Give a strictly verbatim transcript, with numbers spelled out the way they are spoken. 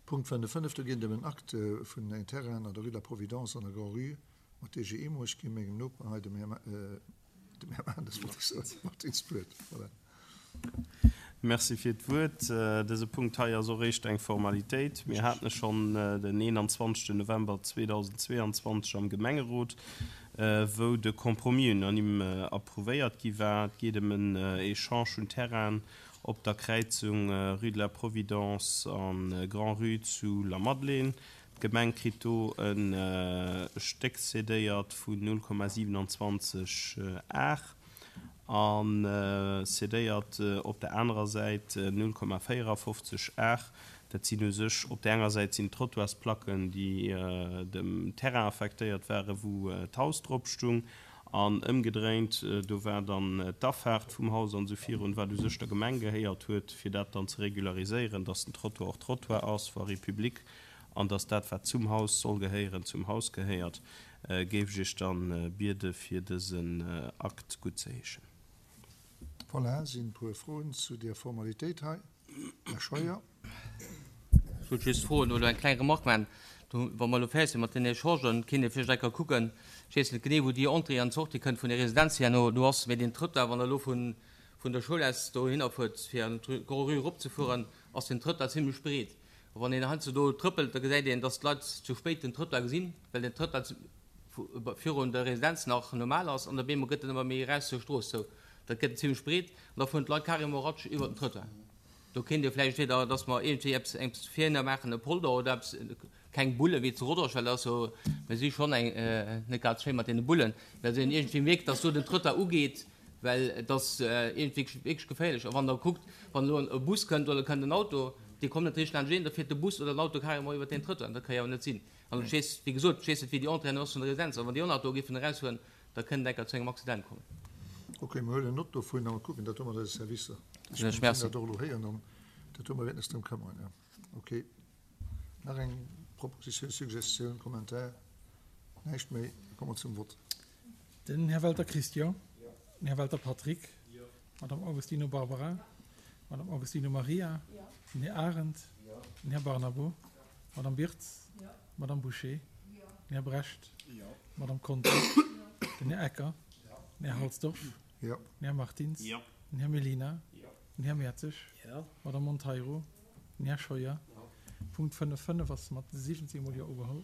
Punkt fënnef fënnef, do geet et ëm en Akt vun engem Terrain an der Rue de la Providence an der Grand-Rue mat D G Immo. Ech gi mengem Noper hei, dem Här, dem Här Maarndes, wollt ech soen, Martins, d'Wuert. Voilà. Merci fir d'Wuert. Dëse Punkt hei ass och eréischt eng Formalitéit. Mir haten e schonn den eenanzwanzegsten November zweedausendzweeanzwanzeg am Gemengerot, wou de Compromis unanime approuvéiert gi war. Et geet ëm en Echange vun Terrainen op der Kräizung Rue de la Providence a Grand-Rue zu Lamadelaine. D'Gemeng kritt do e Stéck cédéiert vun null Komma siewenundzwanzeg Ar a cédéiert op der anerer Säit null Komma véierafofzeg Ar. Dat sinn u sech, op där enger Säit sinn d'Trottoirsplacken, déi dem Terrain affektéiert waren, wou d'Haus drop stung, an ëmgedréint, do war dann d'Afaart vum Haus an esou virun, wat u sech der Gemeng gehéiert huet, fir dat dann ze regulariséieren, dass den Trottoir och Trottoir ass, Voirie publique, an dass dat, wat zum Haus soll gehéieren, zum Haus gehéiert. Géif ech Iech dann biede fir dësen Akt guttzeheeschen. Voilà, sinn e puer Froen zu där Formalitéit hei. Här Scheuer. Ech wollt just froen oder eng kleng Remarque maachen. Do, wa mer elo fäerdeg sinn mat den Echangen, kéint ee vläicht eng Kéier kucken, ech weess net genee, wou déi Entrée an d'Sortie kënnt vun der Residenz herno do ass, mä deen Trottoir, wann Der elo vun, vun der Schoul aus dohinner fuert, fir an d'Grand-Rue eropzefueren, ass den Trottoir zimlech breet. A wann een heiansdo do trëppelt, da gesäit een, dass d'Leit zu spéit den Trottoir gesinn, well den Trottoir virun der Residenz nach normal ass an op eemol gëtt en ëmmer méi eraus zur Strooss zou. Dat gëtt en zimlech breet an da fueren d'Leit carrément ratsch iwwert den Trottoir. Do kéint ee vläicht entweder, dass mer iergendwéi eppes, eppes virhinner maachen, e Polder oder eppes, keng Bulle wéi zu Rodange, well dat ass jo, mir si schonn eng, net grad schéi mat deene Bullen, mä dass een iergendwéi mierkt, dass do den Trottoir ugeet, well et ass iergendwéi wierklech geféierlech. A wann Der kuckt, wann elo e Bus kënnt oder kënnt en Auto, dee kommt net richteg laanscht een, da fiert de Bus oder den Auto carrément iwwert deen Trottoir. Dat ka jo awer net sinn. An ech weess, wéi gesot, ech weess net, wéi déi Entrée ass vun der Residenz, awer wann déi Auto géifen erausfueren, da kënnt enker zu engem Accident kommen. Ok, mir huelen Nott dovun a mer kucken dat do mat eise Servicer. Ech mengen, mir hunn dat och elo héieren an dat do, mer wäerten eis drëm këmmeren, jo. Ok. Nach eng Proposition, Suggestioun, Kommentar? Näischt méi? Da komme mer zum Vott. Den Här Welter Christian. Den Här Welter Patrick. D'Madame Augustino Barbara. D'Madame Augustino Maria. Den Här Arendt. Den Här Barnabo. D'Madame Birtz. D'Madame Bouché. Den Här Brecht. D'Madame Conter. Den Här Ecker. Den Här Halsdorf. Den Här Martins. Den Här Mellina. Den Här Mertzig. D'Madame Monteiro. Den Här Scheuer. Punkt fënnef fënnef ass mat siwwenzéng Mol Jo ugeholl.